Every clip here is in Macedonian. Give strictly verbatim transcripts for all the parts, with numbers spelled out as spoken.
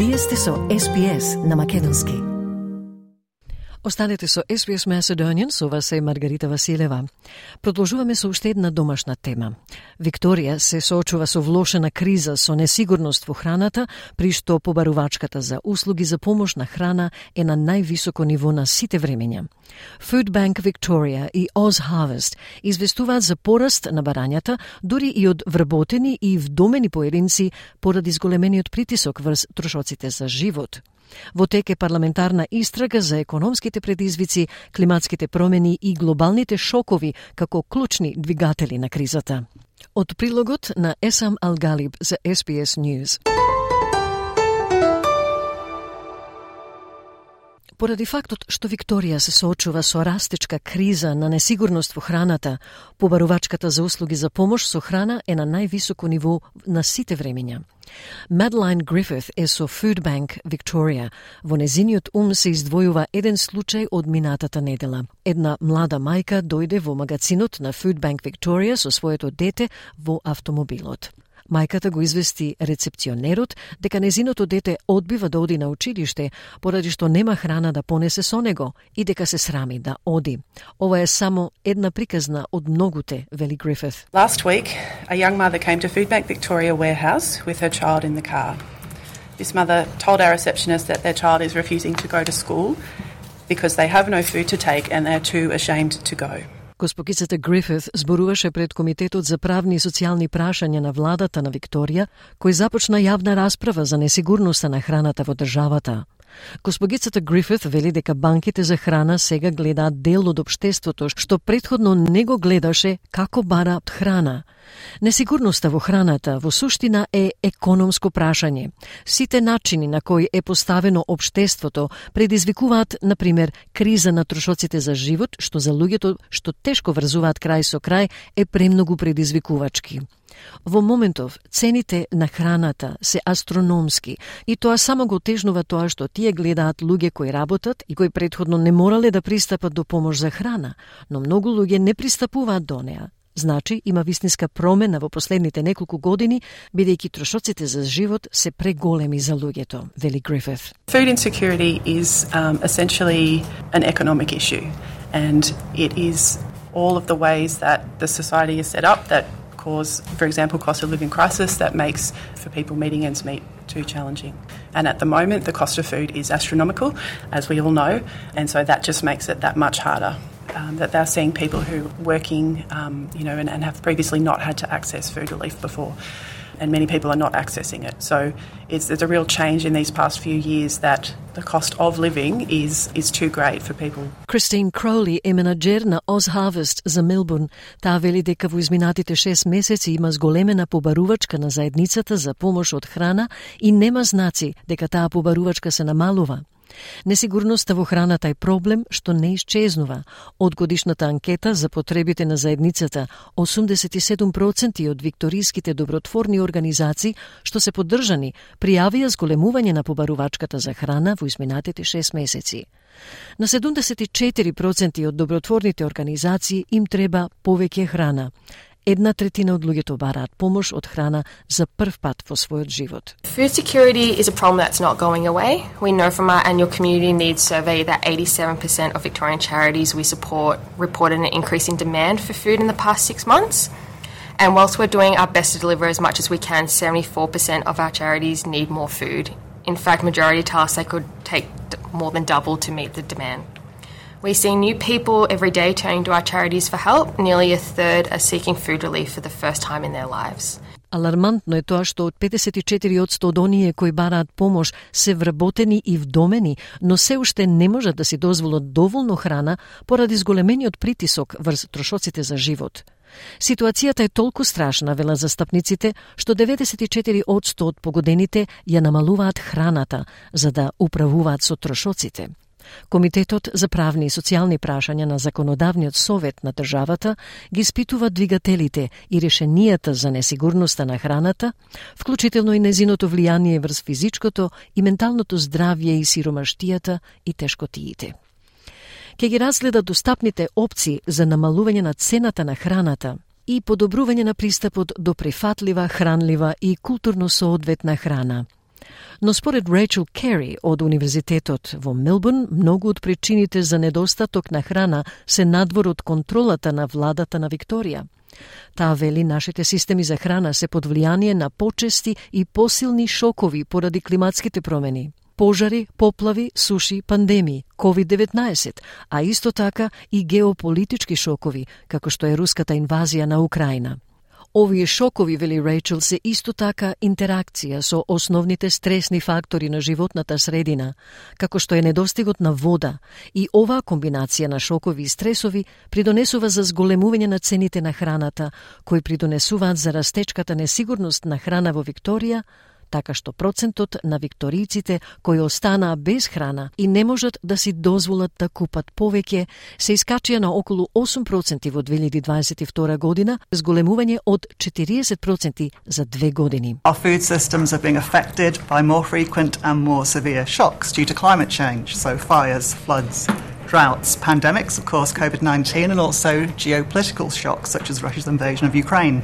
Вие сте со Ес Би Ес на македонски. Останете со Ес Би Ес Macedonian, со вас е Маргарита Василева. Продолжуваме со уште една домашна тема. Викторија се соочува со влошена криза со несигурност во храната, при што побарувачката за услуги за помош на храна е на највисоко ниво на сите времења. Food Bank Victoria и Oz Harvest известуваат за пораст на барањата, дури и од вработени и вдомени поединци поради зголемениот притисок врз трошоците за живот. Во тек е парламентарна истрага за економските предизвици, климатските промени и глобалните шокови како клучни двигатели на кризата. Од прилогот на Есам Алгалиб за Ес Би Ес News. Поради фактот што Викторија се соочува со растечка криза на несигурност во храната, побарувачката за услуги за помош со храна е на највисоко ниво на сите времења. Madeline Griffith е со Food Bank Victoria. Во незиниот ум се издвојува еден случај од минатата недела. Една млада мајка дојде во магазинот на Food Bank Victoria со своето дете во автомобилот. Мајката го извести рецепционерот дека незиното дете одбива да оди на училиште, поради што нема храна да понесе со него и дека се срами да оди. Ова е само една приказна од многуте, вели Грифит. Last week, a young mother came to Food Bank Victoria warehouse with her child in the car. This mother told our receptionist that their child is refusing to go to school because they have no food to take and they're too ashamed to go. Госпогицата Грифит зборуваше пред Комитетот за правни и социјални прашања на владата на Викторија, кој започна јавна расправа за несигурноста на храната во државата. Госпогицата Грифит вели дека банките за храна сега гледаат дел од општеството што претходно не го гледаше како бараат храна. Несигурноста во храната во суштина е економско прашање. Сите начини на кои е поставено општеството предизвикуваат, например, криза на трошоците за живот, што за луѓето што тешко врзуваат крај со крај е премногу предизвикувачки. Во моментов, цените на храната се астрономски и тоа само го тежнува тоа што тие гледаат луѓе кои работат и кои претходно не морале да пристапат до помош за храна, но многу луѓе не пристапуваат до неа. Значи, има вистинска промена во последните неколку години, бидејќи трошоците за живот се преголеми за луѓето, вели Грифит. Food insecurity is um, essentially an economic issue, and it is all of the ways that the society is set up that cause, for example, cost of living crisis that makes for people meeting ends meet too challenging. And at the moment, the cost of food is astronomical, as we all know, and so that just makes it that much harder. Um, that they're seeing people who are working, um, you know, and, and have previously not had to access food relief before, and many people are not accessing it. So it's, there's a real change in these past few years that the cost of living is is too great for people. Christine Crowley е менаџер на Oz Harvest за Мелбурн. Таа вели дека во изминатите шест месеци има зголемена побарувачка на заедницата за помош од храна и нема знаци дека таа побарувачка се намалува. Несигурноста во храната е проблем што не исчезнува. Од годишната анкета за потребите на заедницата, осумдесет и седум проценти од викториските добротворни организации што се поддржани пријавија зголемување на побарувачката за храна во изминатите шест месеци. На седумдесет и четири проценти од добротворните организации им треба повеќе храна. Една третина од луѓето бараат помош од храна за прв пат во својот живот. Food security is a problem that's not going away. We know from our annual community needs survey that eighty-seven percent of Victorian charities we support reported an increase in demand for food in the past six months. And whilst we're doing our best to deliver as much as we can, seventy-four percent of our charities need more food. In fact, majority tell us they could take more than double to meet the demand. We see new people every day turning to our charities for help. Nearly a third are seeking food relief for the first time in their lives. Алармантно е тоа што од педесет и четири одсто од оние кои бараат помош се вработени и вдомени, но се уште не можат да си дозволат доволно храна поради зголемениот притисок врз трошоците за живот. Ситуацијата е толку страшна, велат застапниците, што деветдесет и четири одсто од погодените ја намалуваат храната за да управуваат со трошоците. Комитетот за правни и социјални прашања на Законодавниот совет на државата ги испитува двигателите и решенијата за несигурноста на храната, вклучително и незиното влијание врз физичкото и менталното здравје и сиромаштијата и тешкотиите. Ке ги разгледа достапните опции за намалување на цената на храната и подобрување на пристапот до прифатлива, хранлива и културно соодветна храна. Но според Рейчел Кери од Универзитетот во Мелбурн, многу од причините за недостаток на храна се надвор од контролата на владата на Викторија. Таа вели нашите системи за храна се под влијание на почести и посилни шокови поради климатските промени. Пожари, поплави, суши, пандемии, ковид деветнаесет, а исто така и геополитички шокови, како што е руската инвазија на Украина. Овие шокови, вели Рейчел, се исто така интеракција со основните стресни фактори на животната средина, како што е недостигот на вода, и оваа комбинација на шокови и стресови придонесува за зголемување на цените на храната, кои придонесуваат за растечката несигурност на храна во Викторија, така што процентот на викторијците кои останаа без храна и не можат да си дозволат да купат повеќе, се искачија на околу осум проценти во две илјади дваесет и втора година, зголемување од четириесет проценти за две години. Our food systems are being affected by more frequent and more severe shocks due to climate change, so fires, floods, droughts, pandemics, of course, COVID nineteen, and also geopolitical shocks such as Russia's invasion of Ukraine.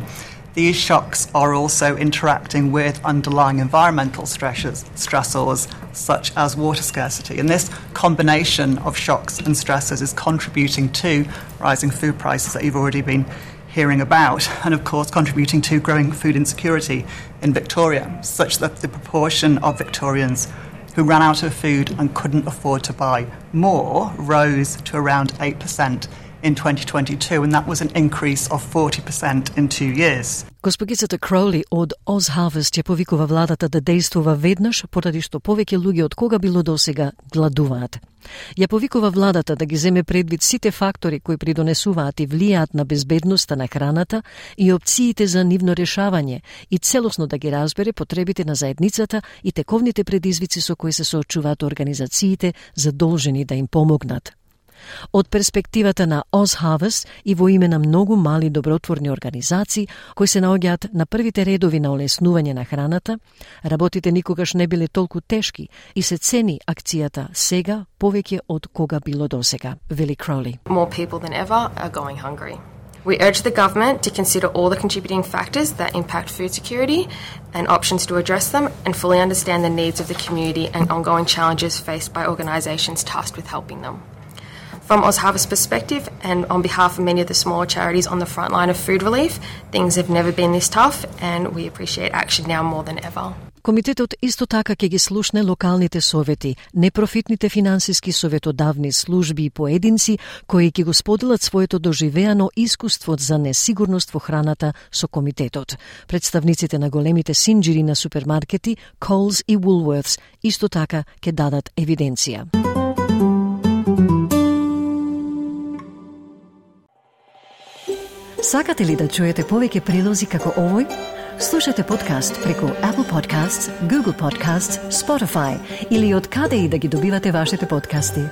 These shocks are also interacting with underlying environmental stressors, stressors such as water scarcity. And this combination of shocks and stressors is contributing to rising food prices that you've already been hearing about, and of course contributing to growing food insecurity in Victoria, such that the proportion of Victorians who ran out of food and couldn't afford to buy more rose to around eight percent in twenty twenty-two, and that was an increase of forty percent in two years. Госпогицата Кроули од Oz Harvest ја повикува владата да действува веднаш, поради што повеќе луѓе од кога било досега гладуваат. Ја повикува владата да ги земе предвид сите фактори кои придонесуваат и влијаат на безбедноста на храната и опциите за нивно решавање и целосно да ги разбере потребите на заедницата и тековните предизвици со кои се соочуваат организациите задолжени да им помогнат. Од перспективата на Oz Harvest и во име на многу мали добротворни организации кои се наоѓаат на првите редови на олеснување на храната, работите никогаш не биле толку тешки и се цени акцијата сега повеќе од кога било досега, вели Кроули. More people than ever are going hungry. We urge the government to consider all the contributing factors that impact food security and options to address them, and fully understand the needs of the community and ongoing challenges faced by organisations tasked with helping them. From Oz Harvest's perspective, and on behalf of many of the smaller charities on the front line of food relief, things have never been this tough, and we appreciate action now more than ever. Комитетот исто така ќе ги слушне локалните совети, непрофитните финансиски советодавни служби и поединци кои ќе го споделат своето доживеано искуство за несигурност во храната со комитетот. Представниците на големите синџири на супермаркети, Coles и Woolworths, исто така ќе дадат евиденција. Сакате ли да чуете повеќе прилози како овој? Слушате подкаст преку Apple Podcasts, Google Podcasts, Spotify или од каде и да ги добивате вашите подкасти.